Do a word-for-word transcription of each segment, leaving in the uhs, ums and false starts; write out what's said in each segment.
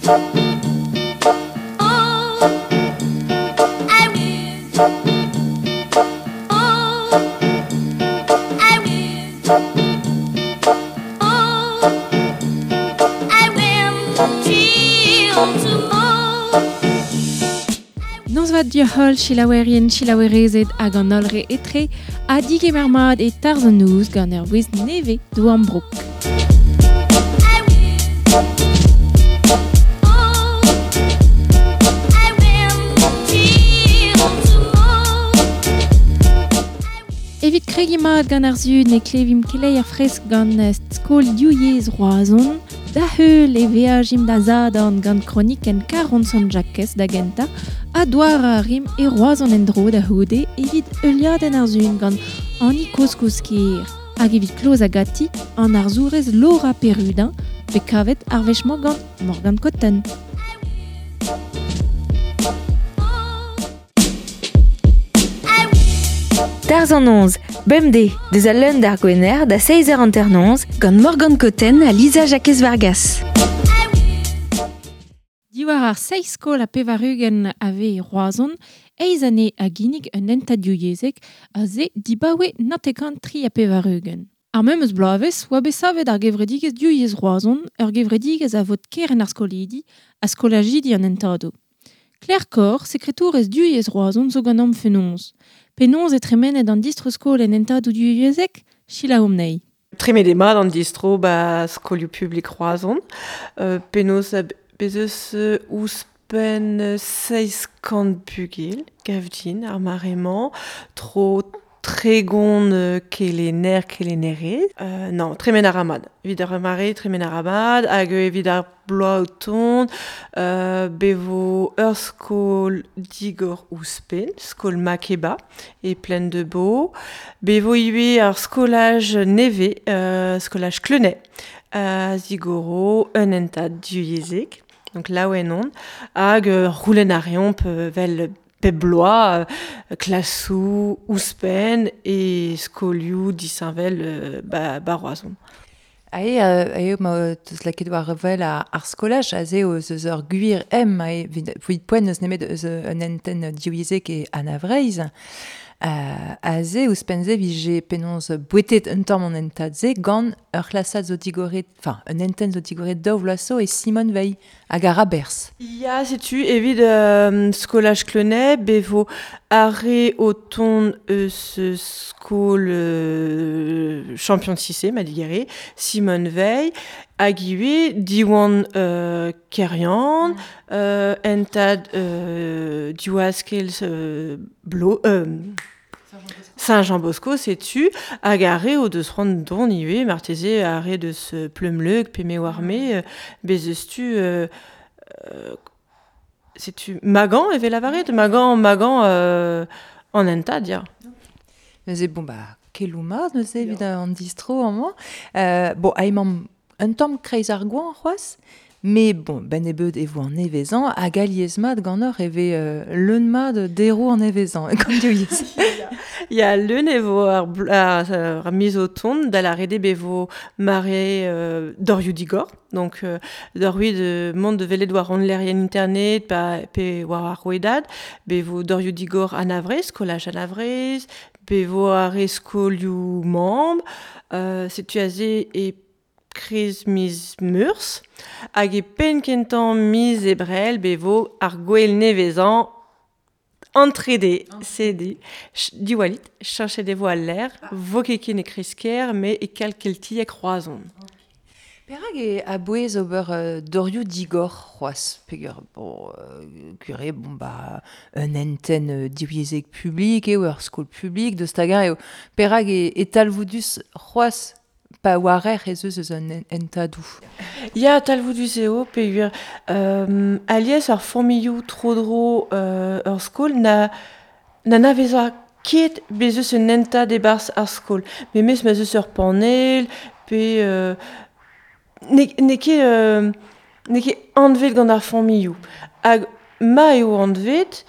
Nozvat dioc'h selaouerien, selaouerezed hag an holl re etre ha digemer mat e tarzh an noz gant ur wezh nevez d'o ambroug. Evit kregiñ mat gant ar sun e klevimp keleier fresk gant skol Div Roazhon, da heul e veajimp da Zadorn gant kronikenn Karont Sant-Jakez da gentañ, ha douar a rim e Roazhon en-dro da c'houde evit heuliadenn ar sun gant Annie Kozkouskier. Hag evit kloz a gati an arzourez Laura Perrudin, bet kavet ar wech-mañ gant Morgane Cotten. Tarzh an noz, bemdez, deus al leun d'ar gwener da seizh eur hanternoz gant Morgane Cotten ha Lisa Jakez-Vargas. Diwar ar seizh skol ha pevar-ugent a vez e Roazhon, eizh anezhe a ginnig un hentad divyezhek a se dibaoe naontek tri ha pevar-ugent. Ar memes bloavezh oa bet savet ar gevredigezh Divyezh Roazhon, ur gevredigezh a vod kerent ar skolidi ha skolajidi an hentadoù. Claire Corr, sekretourez Divyezh Roazhon zo ganeomp fenoz. Penaos e tremenet an distro-skol en hentadoù divyezhek? Selaouomp anezhi. Tremenet eo mat an distro ba skolioù publik Roazhon. Euh, penaos bez eus ouzhpenn seizh kant bugel, gav din, ar mare-mañ, tro tregont kelenner, kelennerez. Euh, non, tremen a ra mat. Evit ar mare, tremen a ra mat, hag evit ar bloaz o tont, euh, bevo ur skol digor ouzhpenn, skol Makeba, e Plaine de Beau. Bevo ivez ar skolaj nevez, euh, skolaj Cleunay, a zigoro un hentad divyezhek, donc laouen on, hag euh, roulen a reomp vel pep bloaz, euh, klasoù, ouzhpenn e skolioù disheñvel euh, ba, ba Roazhon. Ae, ae, ma teus lakaet war vel ar, ar skolaj, aze eus eus ur gwir em, ae, evit poent eus nemet eus un hentenn divyezhek e Anna Vreizh. Euh, aze ouzhpenn se vije penaos bouetet un tamm an hentad-se gant ur c'hlasad zo digoret, enfin, un hentenn zo digoret daou vloaz zo e Simone Veil hag ar aberzh. Ya, setu, evit euh, skolaj Cleunay, bevo ar re o tont eus skol euh, champion de Cissé, ma digere, Simone Veil, hag ivez Diwan euh, Keryann, mm. euh, hentad euh, Diwaskel euh, Blo... Euh, Saint-Jean-Bosco, setu, hag ar re o deus c'hoant dont ivez, marteze ar re deus Pleumleug, pe me oar-me, bez eus tu... Euh, euh, setu Magan evel lavaret, Magan, Magan euh, an hentad, ya. Neuze, bon, bah, keloù mat, neuze, evit an distro amañ. Euh, bon, ha emañ un tamm kreiz ar goañv c'hoazh, mais bon, ben nebeut e vo an nevezañ, hag alies mat ganeoc'h e vez euh, leun mat deroù an nevezañ, gant divyezh. Ya, leun e vo ar, ar, ar miz o tont, da lâret eo be vo mare euh, dorioù digor, donc euh, dorioù de mont de welet war an lec'hienn internet, pa, pe war ar rouedad, be vo dorioù digor an Avrez, skolaj an Avrez, be vo ar re skolioù mamm, euh, setu aze e kriz miz Meurzh, hag e penn kentañ miz Ebrel be vo ar gwel nevezañ an trede, sede, diwallit, cheñchet e vo al lec'h, vo ket ken e kreizh-kêr, met e kalz keltiek Roazhon. Perak e a-bouez ober euh, dorioù digor c'hoazh, peogwir bon, euh, gwir eo, bon, bah, un hentenn euh, divyezhek publik eo, ur skol publik, deus hag-eñ eo. Perak e, e talvoudus c'hoazh pa oarer ez eus eus un hentadoù. Ya, talvoudus eo, peogwir euh, alies ar familhoù tro-dro euh, ur skol na, na n'anaveza ket bez eus un hentad e-barzh ar skol. Memes ma'z eus ur panell, pe euh, n'eo n'eo ket, euh, n'eo ket anvet gant ar familhoù. Hag ma eo anvet,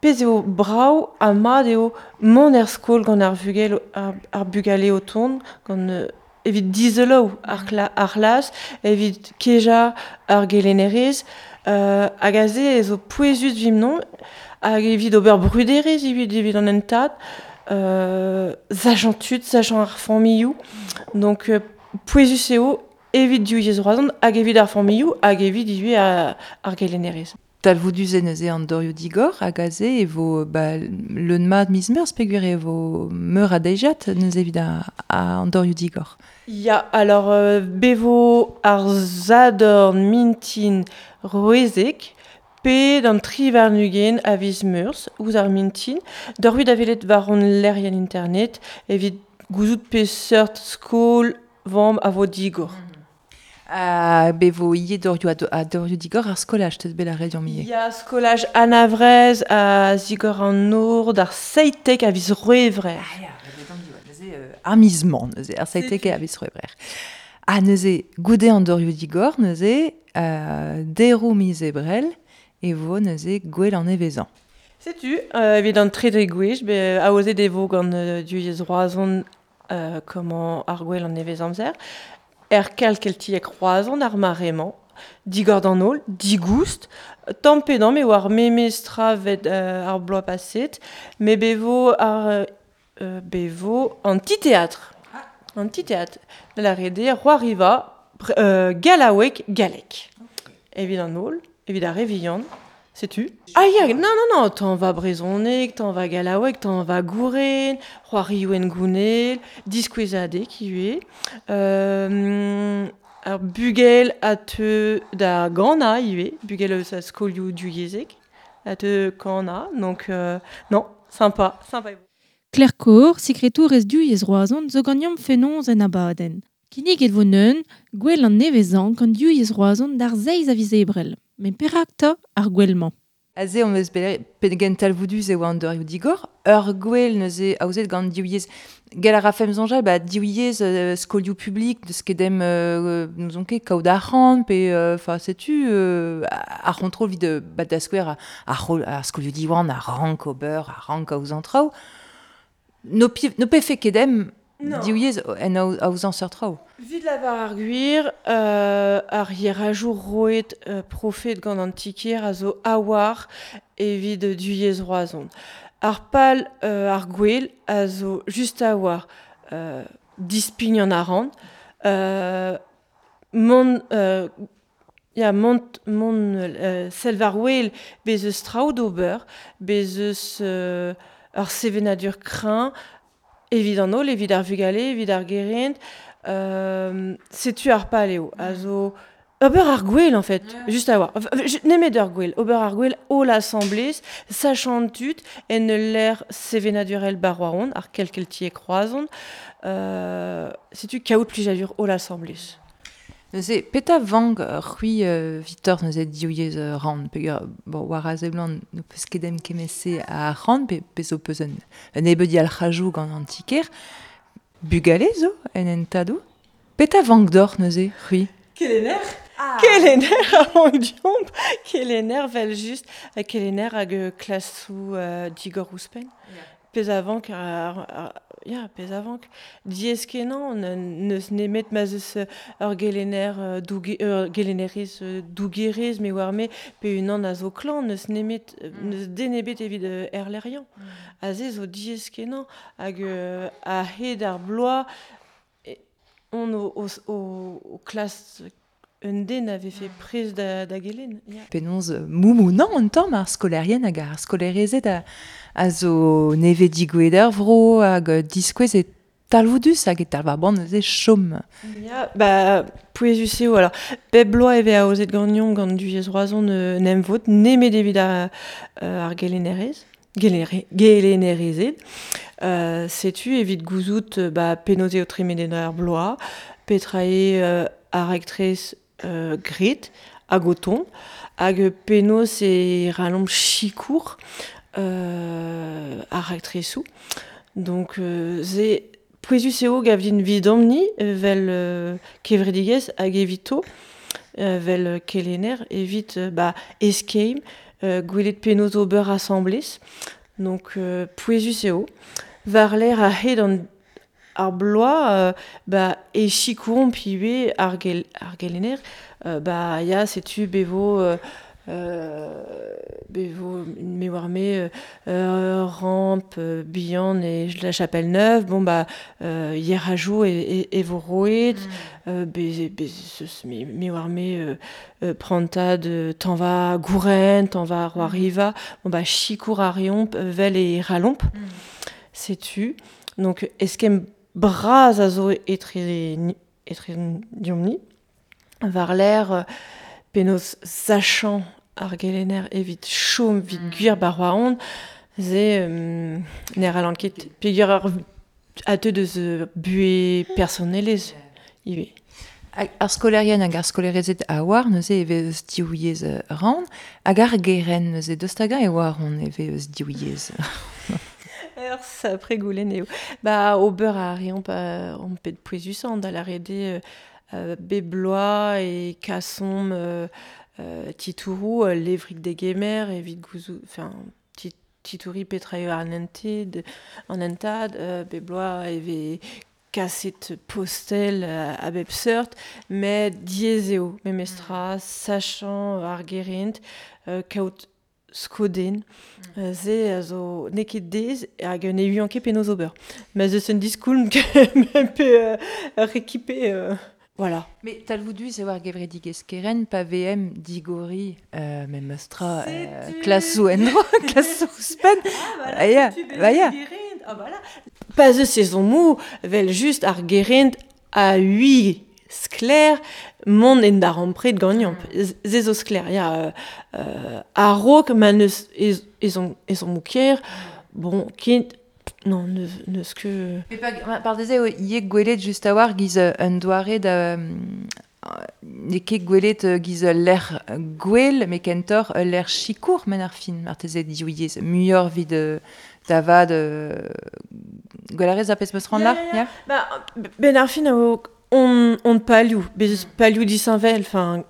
pezh eo brav ha mat eo mont er skol gant ar vugel, ar, ar bugale o tont, gant euh, evit dizelo ar, kla, ar c'hlas, evit keja ar gelennerez, euh, hag aze e zo pouezus vimnon, hag evit ober bruderez evit evit an entad, euh, sachant tud, sachant ar familhoù. Donc euh, pouezus eo evit div yezh Roazhon hag evit ar familhoù hag evit ivez ar, ar gelennerez. Talvoudus e neuze an dorioù digor hag aze e vo ba, leun mat miz meurzh peogwir e vo meur a deiziad neuze evit a, a an dorioù digor. Ya, alors euh, bevo ar zadorn mintin roezek, pe d'an tri warn-ugent a viz meurzh ouzh ar mintin, dorioù da welet war hon lec'hienn internet evit gouzout peseurt skol vamm a vo digor. Ha bevo ivez dorioù a, a dorioù digor ar skolaj teus bet lâret deomp ivez. Ya, skolaj Anna-Vreizh a zigor an nor d'ar seitek a viz C'hwevrer. Ah ya, neuze euh, ar miz-mañ neuze, ar seitek a viz C'hwevrer. Ha neuze, goude an dorioù digor neuze, euh, deroù miz Ebrel e vo neuze gwell an nevezañ. Setu, euh, evit an trede gwech, be aozet e vo gant euh, Div Yezh Roazhon euh, comment ar gwell an nevez amzer. Er kelc'h keltiek Roazhon ar mare-mañ, digor d'an holl, digoust, tamm pe damm eo ar memes tra vet euh, ar bloaz paset, me bevo ar euh, bevo an ti-teatr. An ti-teatr. Da lâret eo c'hoariva euh, gallaoueg gallek. Evit an holl, evit ar re vihan, setu. Ah ya, non, non, non, t'en va brezhoneg, t'en va gallaoueg, t'en va gouren, c'hoarioù en gounel, diskouezadeg ivez. Euh, ar bugel a teu da gana ivez, bugel eus a skolioù divyezhek, a teu kana, donc euh, non, sympa, sympa. Claire Koor, sekretourez Div Yezh Roazhon, zo ganeomp fenoz en abadenn. Kinniget vo neun, gwell an nevezañ gant Div Yezh Roazhon d'ar seizh a viz Ebrel. Met perak 'ta ar gwell-mañ? Aze on eus bet pegen talvoudus e oa an dorioù digor. Ur gwell neuze aozet gant Div Yezh. Gall a rafemp soñjal, ba, Div Yezh euh, skolioù publik, deus ket dem euh, n'ouzon ket kaout arc'hant, pe enfin euh, setu euh, ar c'hontrol evit euh, ba, da skouer ar, ar skolioù Diwan, ar rank ober, ar rank aozañ traoù. No, pi, no pefe ket dem Div Yezh en aozañ seurt traoù. Vit lavar ar gwir, euh, ar yerajoù roet euh, profet gant an tikier a zo a-war evit Div Yezh Roazhon. Ar pal euh, ar gwell a zo just a-war euh, dispign an arc'hant, euh, mont, euh, ya, mont, mont euh, sell war wel bez eus traoù d'ober, bez eus euh, ur sevenadur kreñv, evit an holl, evit ar vugale, evit ar gerent, euh, setu ar pal eo, a zo ober ar gwell en fait, yeah. Just a war. Nemet ur gwell, ober ar gwell holl asamblez, sachant tud, en ul lec'h sevenadurel ba Roazhon, ar kelc'h keltiek Roazhon, euh, setu kaout plijadur holl asamblez. Neuze, petra vank c'hwi euh, Victor neuze Div Yezh euh, ran, peogwir bon, war a seblant n'ho peus ket em kemese a ran, pe, pe zo peus un, un nebeud yalc'hajoù gant an tiker. Bugale zo en entadoù. Petra vank deoc'h neuze, c'hwi? Kelenner? Ah. Kelenner a vank deomp. Kelenner vel just, kelenner hag klasoù euh, digor ouzhpenn. Yeah. Pezh a vank ar, ar, ya, pezh a vank. Diaes kenañ, n'eus nemet ma'z eus ur gelenner douge, ur gelennerez dougerez, me oar me, pe unan a zo klañv, n'eus nemet, n'eus den ebet evit erlec'hiañ. Mm. Aze zo diaes kenañ, hag euh, a-hed ar bloaz, on o, o, o, o klas un den avait fait prez da, da gelen. Yeah. Penaos moumounañ un tamm ar skolaerien hag ar skolaerezed a, a zo nevez digouezhet er vro hag diskouez e talvoudus hag e talv ar boan neuze chom. Ya, ba, pouezus eo, alors, bep bloaz e vez aozet ganeomp gant Div Yezh Roazhon euh, en emvod, nemet evit ar, euh, ar gelennerez, gelennerez, gelennerezed. Euh, setu evit gouzout ba, penaos eo tremenet ar bloaz, petra eo euh, ar raktres Euh, gret hag o tont, hag penaos e ralomp sikour euh, ar raktresoù. Donc euh, ze pouezus eo gavdin vidomp-ni vel euh, kevredigezh hag evito, euh, vel kelenner, evit euh, ba, eskeim, euh, gwelet penaos ober asamblez. Donc euh, pouezus eo. War lec'h a-hed an ar bloa, euh, ba, e chikouron piwe ar, gel, ar gelener, euh, ba, ya, setu bevo... Euh, Euh, bevo me war me euh, rampe euh, bihan e la chapelle neuve bon bah euh, hier a jou e, e, e vo roet mm. euh, be, be, ce, me, me war me euh, euh, prantad t'en va gouren t'en va roi riva bon bah chikour a riomp vel e ralomp mm. Setu donc eskem braz a zo etre etre diomni var l'air euh, penaos sachant ar gelener evit chom vit mm. gwir bar oa ze um, ner alan ket peogwir ar a te deus bue personelez ivez. Ar skolerien hag ar skolerezed a oar neuze e vez eus div yezh ran, hag ar geren neuze deus hag e oar on e vez eus div yezh. Ur sapre goulenn eo. Ba ober a reomp on pet pouezusañ da lâret eo euh, bebloa e kasom euh, euh, titourou euh, levrik de gemer evit gouzou enfin titouri petra eo an ented an entad euh, bebloa e vez kaset postel euh, a bep seurt met diaes eo memestra mm. sachant ar gerent euh, kaout skoden mm. ze a zo n'eo ket dez hag ne uian ket penaos ober ma zeus un diskoulm pe euh, rekipe euh, Voilà. Mais talvoudus e war gevredigezh keren pa V M digori euh, memestra euh, klasou endro, klasou ouzhpenn. Ah, ya, ba ya. Ah, voilà. Pa zeus sezon vel just ar gerent a ui skler mont en dar ampred gagnamp. Ze zo skler, ya, euh, euh, a-raok ma neus ez, ez on, ez on moukier, bon, kent Non, neus, neus ket... Mais par, par deze, eo gwelet just a war giz un doare da... N'eo ket gwelet giz l'air gwell, met kentoc'h l'air chikour men ar fin, marteze div yezh. Muioc'h vid da vad... Gwell a rez ar pezh meus ran là? Ya, ya. Ba, ben ar fin eo on, on palioù, bez palioù disheñvel, enfin...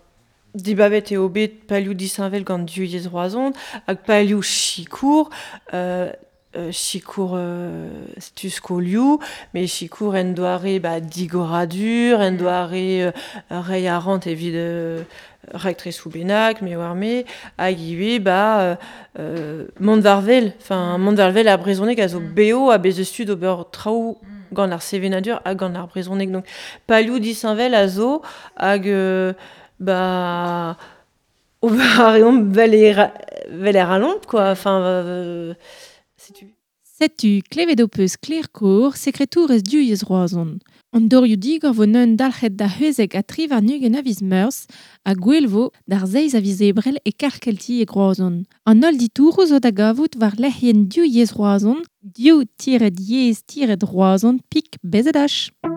Dibabet eo bet palioù disheñvel gant div yezh Roazhon, hag palioù chikour, euh, Euh, chikour euh, setu skolioù, met chikour en doare ba, digoradur, en doare euh, reiñ a rant evit euh, rektresoù bennak, me war me, hag ivez ba, euh, mont war-wel, enfin mont war-wel ar brezhoneg a zo beo ha bez eus tud ober traoù gant ar sevenadur hag gant ar brezhoneg. Donc palioù disheñvel a zo hag euh, ba ober a reomp vel e vel e ralomp quoi, enfin euh, Setu. Setu klevet ho peus Claire Kour, sekretourez div yezh Roazhon. An dorioù digor vo neun dalc'het da c'hwezek ha tri warn-ugent a viz Meurzh ha gwell vo d'ar seizh a viz Ebrel e Karkelti e Roazhon. An holl ditouroù zo da gavout war lec'hienn div yezh Roazhon, div tiret yezh tiret Roazhon pik B Z H. You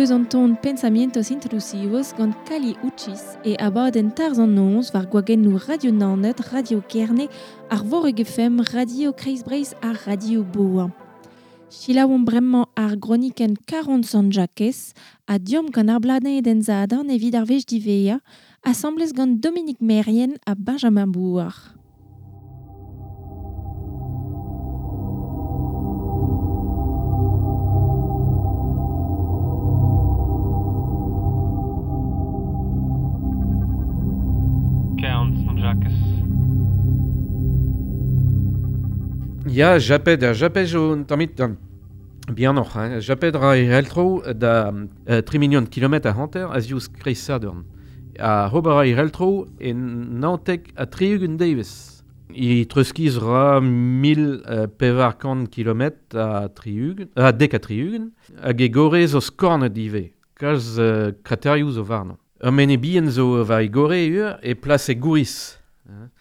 deus an ton Pensamientos Intrusivos gant Kali Uchis e abadenn Tarzh an Noz war gwagennoù Radio Naoned, Radio Kerne, ar Voreg F M, Radio Kreiz Breizh ha Radio Boa. Selaouomp bremañ ar gronikenn Karont Sant-Jakez ha diomp gant ar blanedenn Zadorn evit ar wech diwezhañ, asambles gant Dominique Merrien ha Benjamin Bouard. Ya, japet, japet zo un tammig bihanoc'h, hein. Japet ra e reltro da uh, tri million kilometr a hanter a ziouz kreiz Sadorn. A ober ra e reltro e naontek ha tri-ugent devezh. I treuskiz ra mil uh, pevar kant kilometr a tri-ugent, a dek ha tri-ugent, hag e gore zo skornet ivez, kalz uh, kraterioù zo warnañ. Ur mene bihan zo war e gore ur e plas e gouriz. Hein.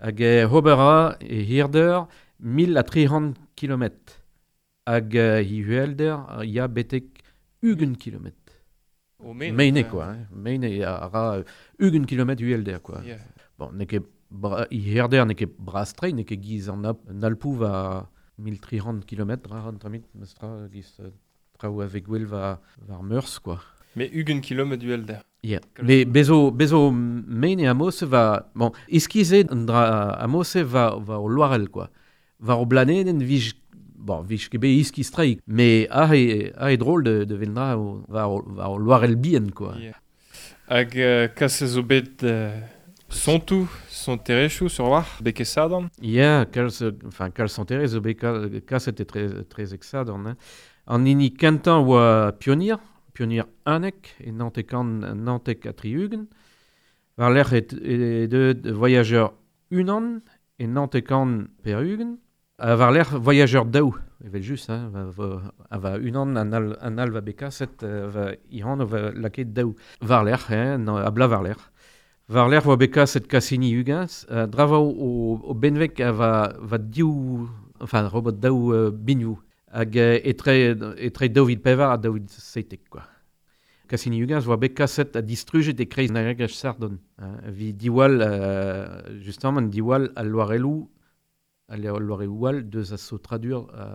Hag e ober ra e hirder mil ha tri c'hant kilometr. Hag uh, hi uhelder ya betek ugent kilometr. O mene, Mene, quoi. Hein. Mene a ra ugent kilometr uhelder, quoi. Yeah. Bon, n'eo ket bra, hi herder n'eo ket bras-tre, n'eo ket giz an, an Alpoù va mil tri c'hant kilometr, ra an tramit, mestra giz uh, traoù a vez gwell va, war Meurzh, quoi. Mais ugent kilometr uhelder. Yeah. Mais bezo, bezo mene amose va... Bon, iskize an dra amose va, va o loarel, quoi. War o blanedenn vij, bon, vij ket bet iskiz traik, mais ah e, ah e drôle de, de vendra o, war o, war o loarel bihan, quoi. Yeah. Hag uh, kas zo bet uh, sontoù, sonterezhioù sur war, beke Sadorn? Yeah, kalz, enfin, kalz sonterezh zo bet kaset e tre, trezek Sadorn. Hein. An hini kentañ oa Pioneer, Pioneer unnek, e naontek an, naontek ha tri-ugent. War lerc'h e, e deuet Voyageur unan, e naontek an per-ugent. A war lerc'h Voyageur daou, evel just, hein, va, va, a va unan an al, an al va bet kaset, va ihan va lakaet daou. War lerc'h, hein, a bla war lerc'h. War lerc'h va bet kaset Cassini Huygens, uh, dra va o, o benveg a va, va div, enfin, robot daou uh, binioù. Hag uh, etre, etre daou vil pevar ha daou vil seitek, quoi. Cassini Huygens voa bet kaset ha distrujet e kreiz an aergelc'h Sardon. Hein, vi diwall, uh, justement, diwall al loarelloù, al loarelloù all deus a saotradur a,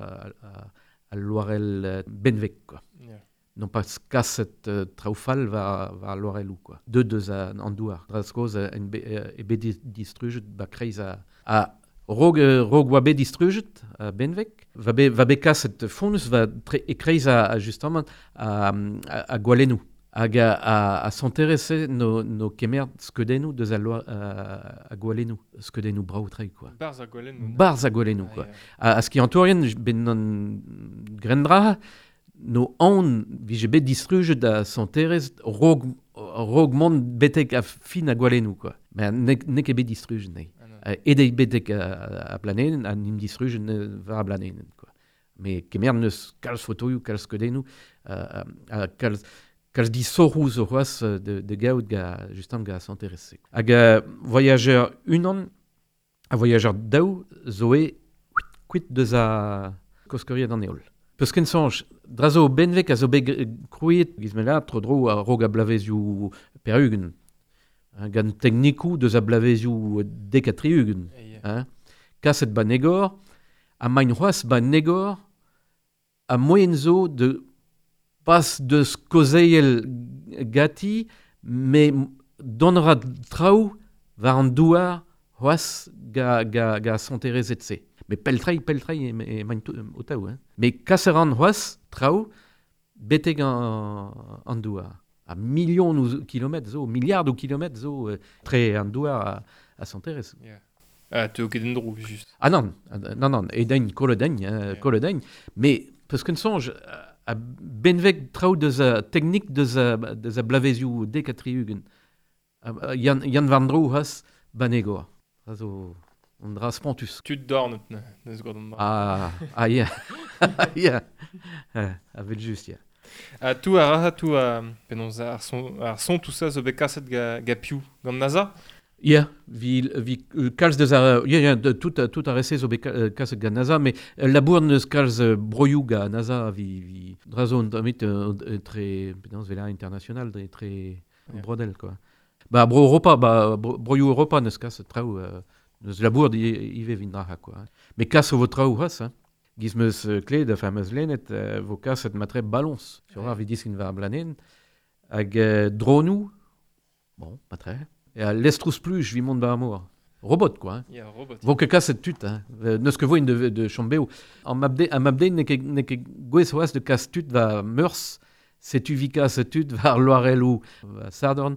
a, a loarell benveg, quoi. Yeah. Non pas kaset uh, traoù fall war, war loarelloù, quoi. Deus deus a, an douar. Dra skoz en be, e bet distrujet ba kreiz a, a rog, rog oa bet distrujet a benveg, va bet, va bet kaset fonnus va tre, e kreiz a, a justement a, a, a gwalennoù. Hag a, a, a sonterezh no, no kemer skeudennoù deus a, loa, a, a gwalennoù, skeudennoù brav-tre, quoi. Barzh a gwalennoù. Barzh a gwalennoù, Ah, quoi. yeah. A, a skiantourien, ben an grendra, no aon vije bet distrujet a sonterezh rog, rog mont betek a fin a gwalennoù, quoi. Mais n'eo n'eo ket bet distrujet, nei. Ah, non. Uh, edei betek a, a blanedenn, ha nim distrujet war a blanedenn, quoi. Mais kemer neus kalz fotoioù, kalz skeudennoù, uh, uh, kalz... kalz disoc'hoù zo c'hoazh de, de gaout ga, justement ga sonterezh. Hag uh, Voyageur unan, a Voyageur daou zo e kuit deus a koskoriad an heol. Peus ken soñj, dra zo benveg a zo bet krouet, giz me la, tro dro a rog a blavezioù per-ugent. Hein, gant teknikoù deus a blavezioù dek ha tri-ugent. Yeah. Hein. Kaset ba negor, ha main c'hoazh ba negor, a moyen zo de pas deus kozeiel gati, me don ra traoù war an douar c'hoazh ga, ga, ga sonterezh se. Mais peltrei, peltrei e, e maint o taou, hein. Mais kas a ran c'hoazh traoù betek an, an douar. A million ou kilometr zo, milliard ou kilometr zo euh, tre an douar a, a sonterezh. Yeah. Ah, teo ket en dro, just. Ah non, non, non, edein, koledein, euh, Yeah. koledein. Mais peus ken soñj, a benveg traoù deus a teknik deus a, deus a blavezioù dek ha tri-ugent. Yann, Yann Vandro c'hoazh banegor. A zo an dra spontus. Tud dornet, ne, neus gant an dra. Ah, ah, yeah. Yeah. A vel just, yeah. Ha tout a ra, tout a... Penaos, ar son, ar son tout ça zo bet kaset ga, ga piou, gant NASA? Ya, vi, vi kalz deus ar... Ya, ya, de, tout, tout ar rese zo bet kaset gant NASA, mais labour neus kalz broioù ga NASA vi, vi drazo an damit tre, penaos vela international, tre, tre yeah. Brodel, quoi. Ba, bro Europa, ba, bro, broioù Europa neus kaset traoù, euh, neus labour di ive vin draha, quoi. Mais kas o vo traoù c'hoazh, hein. Giz meus kled, enfin meus lennet, euh, vo kaset matre ballons, sur ar vi diskin war blanen, hag euh, dronoù, bon, matre. Et à l'estrous pluj vi mont ba amour. Robot, quoi. Hein. Yeah, robot. Vo ket kaset tud, hein. Neus ket voin de, de chambeo. An mabde, an mabde ne ket, ne ket gwez c'hoazh de kas tud va meurs, setu vi kaset tud war loarelou va sardorn.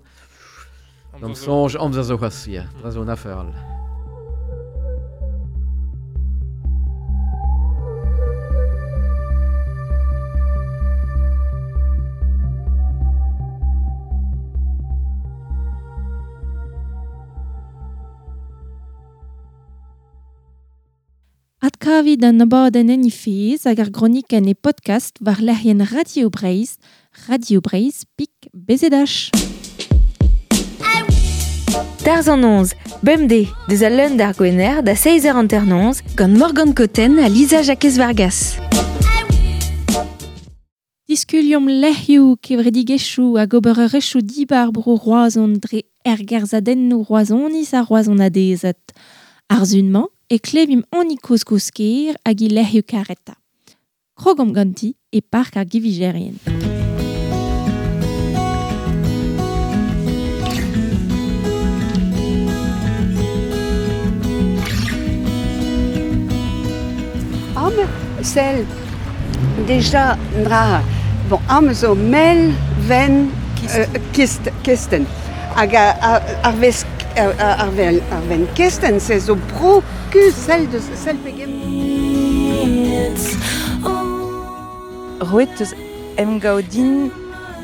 D'am sonj, amzer zo c'hoazh, ya. Dra zo an afer all. Adkavit an abadenn en ifez hag ar gronikenn e podcast war lec'hienn Radio Breizh, Radio Breizh pik B Z H. Tarzh an noz, bemdez, deus al leun d'ar gwener da seizh eur hanter-noz gant Morgane Cotten ha Lisa Jakez Vargas. Diskuliomp lec'hioù kevredigezhioù hag obererezhioù dibar bro Roazhon dre ergerzhadennoù Roazhoniz ha Roazhonadezed. Ar sun-mañ e klevimp an ikoz kozh-ker hag i lec'hioù kareta. Krogomp ganti e park ar givijerien. Am sel deja dra bon am zo mel ven euh, kist kesten hag ar vez ar ven ar ven kesten se zo bro ku sel de sel pegem Roet eus emgaodin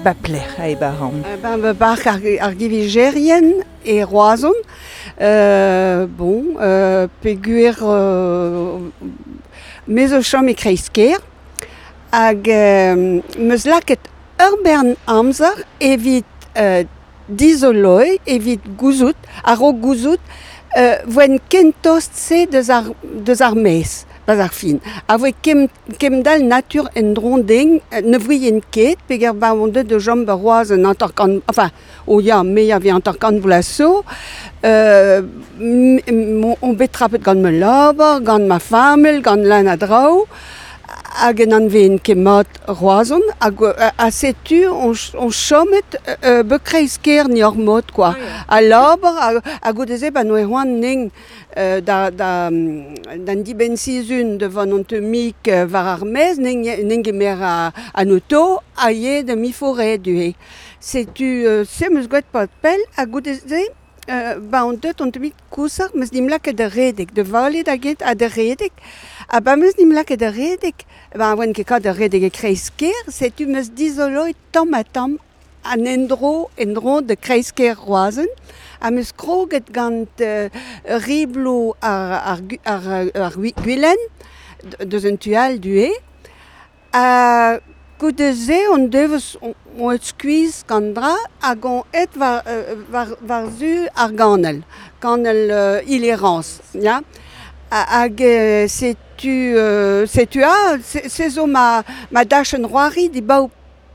ba plec'h a e baran. Ben ba park ar, ar givijerien e Roazhon. Euh, bon, euh, peguer euh, me zo chom e kreiz-ker hag euh, meus lakaet ur bern amzer evit euh, dizoloi, evit gouzout, a-raok gouzout, euh, voen kentost se deus ar, deus ar maez, bas ar fin. A voe kem, kemdal natur en dron deng, ne voien ket, peger ba on deut de jom ba roaz an hanter-kant, enfin, o ya, me ya vi hanter-kant vloaz zo, euh, on bet trapet gant me labour, gant ma famel, gant lan a draoù, hag en anveen ket mat Roazhon, hag a setu on, on chomet euh, be kreiz-ker ni ur mod, quoi. A labour, hag goude-se ba noe c'hoant ning euh, da, da, d'an dibenn sizhun devant an teumik war ar maez, ning, ning emer a, an auto, a ye de mi forêt du. Setu, euh, se meus gwet pat pell, hag goude-se, Euh, ba on deut on teumik kousar, meus nim lakaet da redek, de vale da get ha da redek, ha ba meus nim lakaet da redek, ba oan ket kat da redek e kreiz-ker, setu meus dizoloi tamm ha tamm an endro, endro de kreiz-ker Roazhon, ha meus kroget gant euh, riblo ar, ar, ar, ar, ar gwilen, deus un tu all du e, ha goude-se on deveus on, on et skuizh gant dra hag on et war, war, war zu ar ganel, ganel euh, ilerans, ya. Hag euh, setu, euh, setu a, se zo ma, ma dachenn roari di baou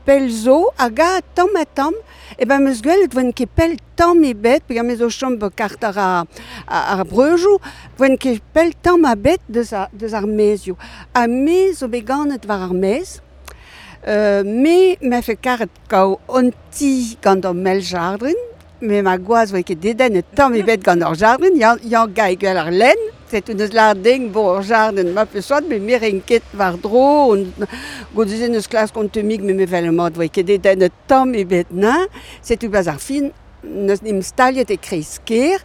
pell zo, hag a tamm ha tamm, e ben meus gwelet voen ket pell tamm ebet, peogwir me zo chom be kart ar, ar, ar breujoù, voen ket pell tamm ebet deus ar, deus ar maezioù. Ha me zo bet ganet war ar maez, Euh, me me fe karet kaou on ti gant ur mel jardrin, me ma gwaz voe ket dedennet tamm ebet gant ur jardrin, ya, ya gae gwell ar lenn, c'est un eus lar ding bo ur jardin ma peus soat, me miren ket war dro, on, goude-se neus klask on teumik, me me vel mat voe ket dedennet tamm ebet na, setu baz ar fin, neus nim staliet e kreiz-ker,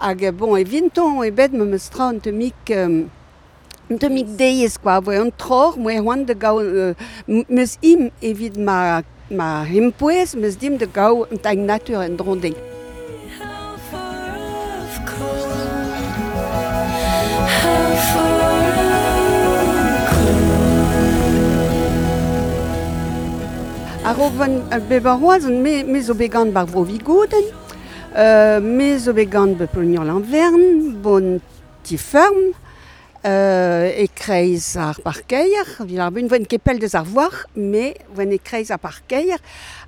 hag bon, e vinton ebet me meus tra an teumik... Euh, Un teumik deiz, quoi, voe an tror, moe c'hoant da gaou, euh, meus im evit ma, ma hempouez, meus dim da gaou un tailh natur en dron ding. A-raok van bep ar Roazhon, me, me zo bet gant bar vro Vigouden, Euh, me zo bet gant be Plognon l'Anvern, bon ti ferm, euh, e kreiz ar parkeier, vil ar bun voen kepel deus ar voir, me voen e kreiz ar parkeier,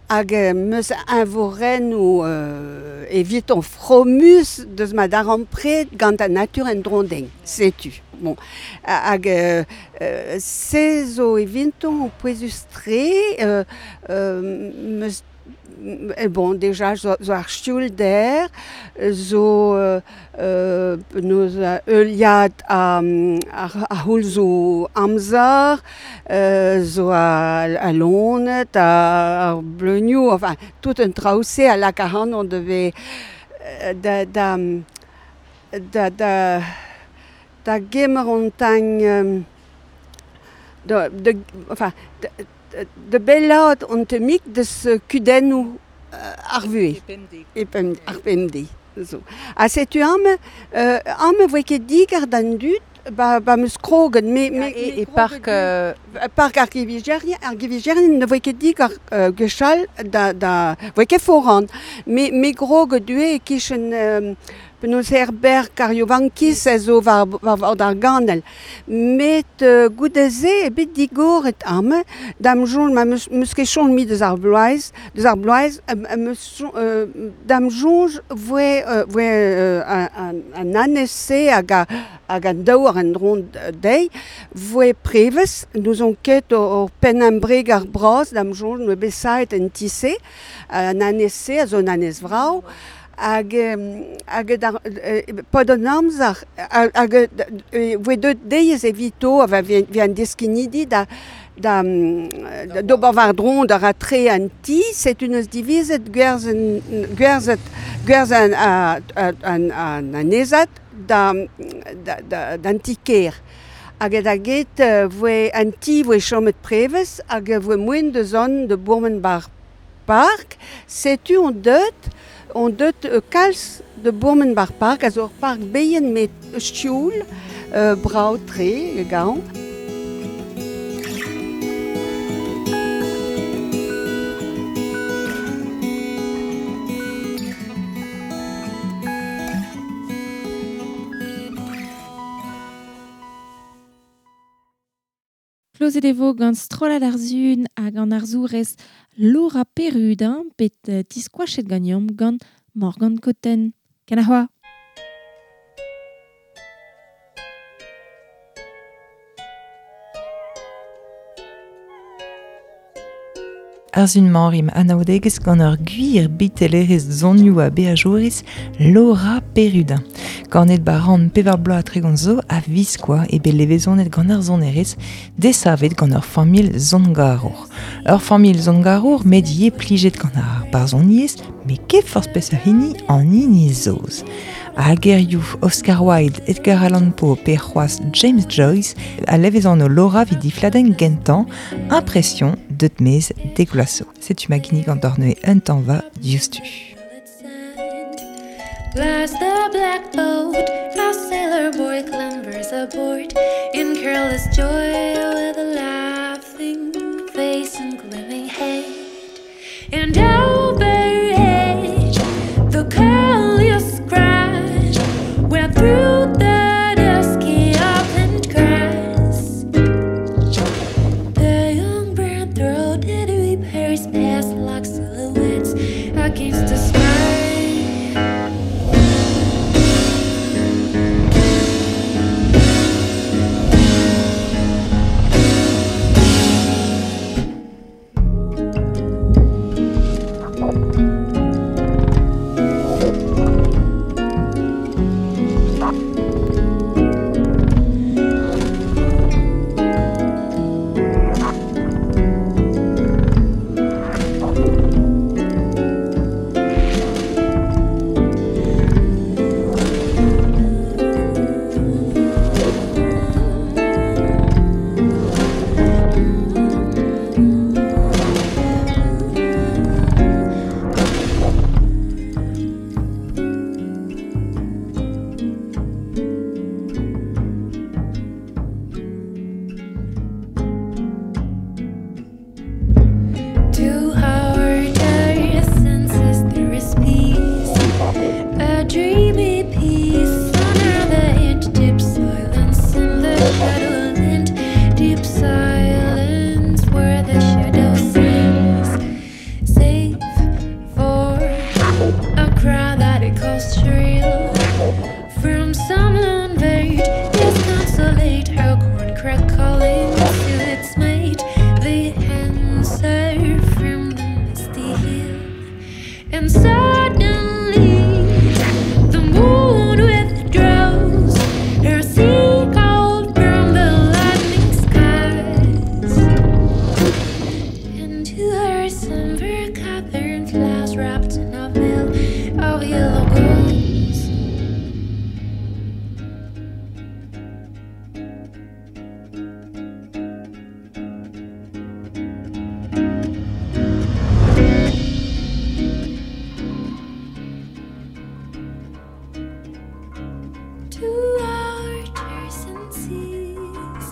hag meus invoren ou euh, evit on fromus deus ma daran pred gant an natur en drondeng, setu. Bon, hag euh, euh, se zo evinton pouezus tre, euh, euh, meus Et bon, déjà, zo, zo ar stioul der, zo euh, euh, noz euliad a, a, a houl zo amzer, euh, zo a, a lonet, a, a bleunioù, enfin, tout un traoù-se a lak a on devait da, da, da, da, da gemer on tagn, da, de, enfin, de, de bellat on temik deus kudennoù ar vue. E pemde. Ar pemde. Zo. Ha setu am, euh, am voe ket digar d'an dud, ba, ba meus krogen, me, me, E, e park... Euh... Park ar givigerien, ar givigerien ne voe ket digar euh, gwechall da, da, voe ket foran. Me, me grog due e kichen euh, penaos herberg ar Jovankis a zo war, war, war d'ar ganel. Met euh, goudeze e bet digoret am, dam joun ma meus, meus ket chon mi deus ar bloaz, deus ar bloaz, euh, meus euh, dam jonj voe, euh, voe euh, an, an, an anese hag a, hag an daou ar an dron deiz, voe prevez, nous on ket o, o penn an breg ar braz, dam jonj noe besaet en tisse, an anese a zo an anez vrao, hag hag dar pod an amzer hag voe deut deiz evito a vi an deskinidi da da d'ober war dron da ratre an ti, set un eus divizet gwerzen gwerzet gwerzen an an an anezat da da da d'an ti-kêr. Hag da get voe an ti voe chomet prevez hag voe moen de zon de Bourmenbar Park, setu on deut on deut euh, kalz de Bourmenbar Park, a zo ur park beien met stioul, euh, brao tre, gaon. Klozet e vo gant strollad ar zun hag an arzourez Laura Perudin bet diskoachet ganeomp gant Morgan Cotten. Ken ar c'hoa. Ar zun mañrim anaoudegezh gant ur gwir bitelerez zonioù a beajourez Laura Perudin. Ganet baran pevar bloaz tregont zo a viskoa e bet levezonet gant ar zonerez desavet gant ur familh zongarour. Ur familh zongarour met ye plijet gant ar barzhoniezh, met ket forzh peseurt hini an hini zoz. A gerioù Oscar Wilde, Edgar Allan Poe pe c'hoazh James Joyce a levezon o Laura vid difladenn gentañ impression deut mez degloaso. Setu ma ginnig an dorneue un tañva diouzhtu. Lies the black boat, a sailor boy clambers aboard in careless joy with a laughing face and gleaming head. And overhead, the curliest crash went through the dusky upland grass. The young brown-throated reapers past like silhouettes against the sky. Thank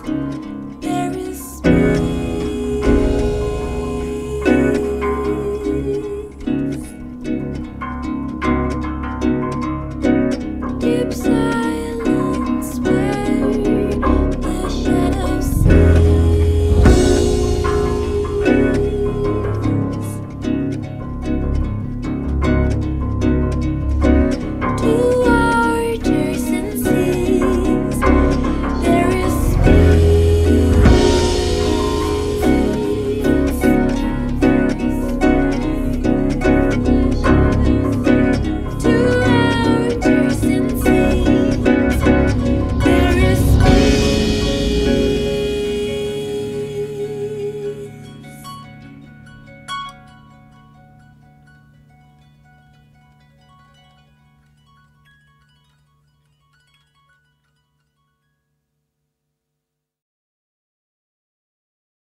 Breizh.